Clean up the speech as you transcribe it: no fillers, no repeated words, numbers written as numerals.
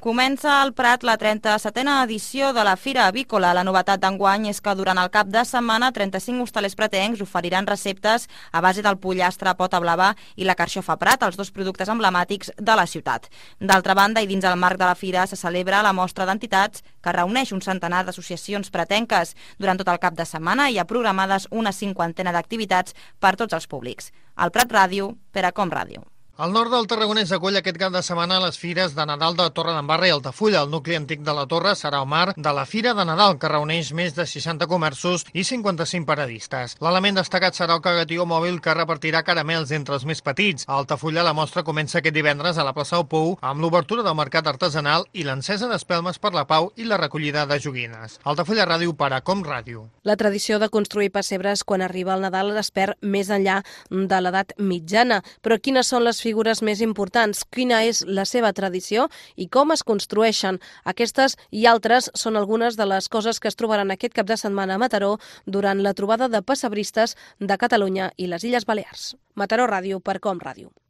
Comença al Prat la 37a edició de la Fira Avícola. La novetat d'enguany és que durant el cap de setmana 35 hostalers pratencs oferiran receptes a base del pollastre pota blava i la carxofa Prat, els dos productes emblemàtics de la ciutat. D'altra banda, i dins el marc de la fira, se celebra la mostra d'entitats que reuneix un centenar d'associacions pratenques. Durant tot el cap de setmana hi ha programades una 50ena d'activitats per tots els públics. Al Prat Ràdio, per a Com Ràdio. El nord del Tarragonès acull aquest cap de setmana les fires de Nadal de Torredembarra i Altafulla. El nucli antic de la Torre serà el marc de la Fira de Nadal, que reuneix més de 60 comerços i 55 paradistes. L'element destacat serà el cagatió mòbil que repartirà caramels entre els més petits. A Altafulla la mostra comença aquest divendres a la plaça del Pou amb l'obertura del mercat artesanal i l'encesa d'espelmes per la pau i la recollida de joguines. Altafulla Ràdio per a Com Ràdio. La tradició de construir pessebres quan arriba el Nadal es perd més enllà de l'edat mitjana. Però quines són les figures més importants, quina és la seva tradició i com es construeixen? Aquestes i altres són algunes de les coses que es trobaran aquest cap de setmana a Mataró durant la trobada de pessebristes de Catalunya i les Illes Balears. Mataró Ràdio per Com Ràdio.